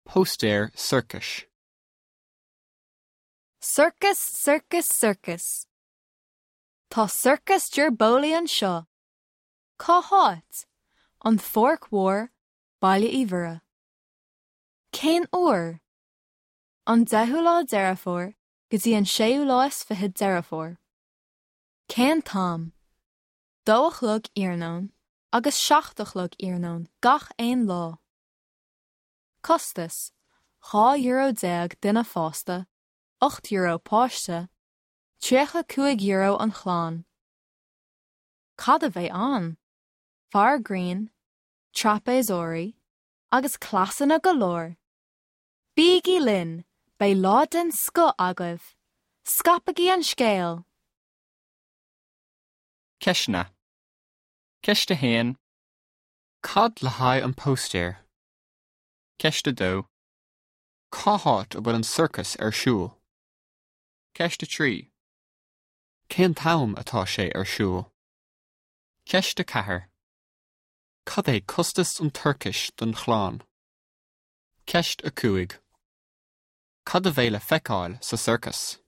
Póstaer sorcais. Sorcas, sorcas, sorcas. Tá Sorcas Ger Bowley anseo. Cá háit? An Pháirc Mhór, Baile Uí Mhuire. Cén uair? An 10ú lá Deireadh Fómhair go dtí an 26ú lá Deireadh Fómhair. Cén t-am? 2 a chlog iarnóin agus 7 a chlog iarnóin gach aon lá. Costas, €12 duine fásta, €8 páiste, €35 an chlann. Cad a bheidh ann? Fear grinn, traipéasóirí agus cleasanna go leor! Bígí linn, beidh lá den scoth agaibh! Scaipigí an scéal! Ceisteanna. Ceist 1. Cad le haghaidh an póstaer? Ceist 2. Cá háit a bhfuil an sorcas ar siúl? Ceist 3. Cén t-am atá sé ar siúl? Ceist 4. Cad é costas an tsorcais don chlann? Ceist 5. Cad a bheidh le feiceáil sa sorcas?